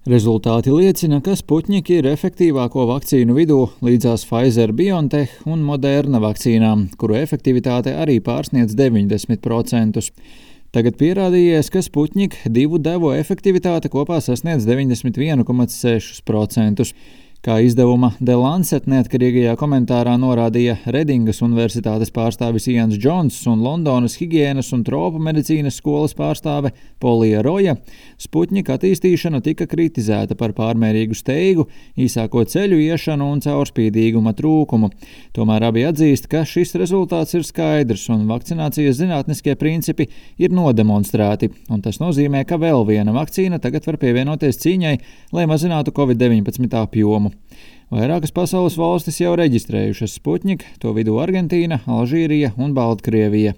Rezultāti liecina, ka Sputņiki ir efektīvāko vakcīnu vidū līdzās Pfizer-BioNTech un Moderna vakcīnām, kuru efektivitāte arī pārsniedz 90%. Tagad pierādījies, ka Sputņik 2 devu efektivitāte kopā sasniedz 91,6%. Kā izdevuma The Lancet neatkarīgajā komentārā norādīja Redingas universitātes pārstāvis Ians Džons un Londonas higienas un tropu medicīnas skolas pārstāve Polija Roja, Sputņika attīstīšana tika kritizēta par pārmērīgu steigu, īsāko ceļu iešanu un caurspīdīguma trūkumu. Tomēr abi atzīst, ka šis rezultāts ir skaidrs un vakcinācijas zinātniskie principi ir nodemonstrēti, un tas nozīmē, ka vēl viena vakcīna tagad var pievienoties cīņai, lai mazinātu Covid-19 apjomu. Vairākas pasaules valstis jau reģistrējušas Sputņik, to vidū Argentīna, Alžīrija un Baltkrievija.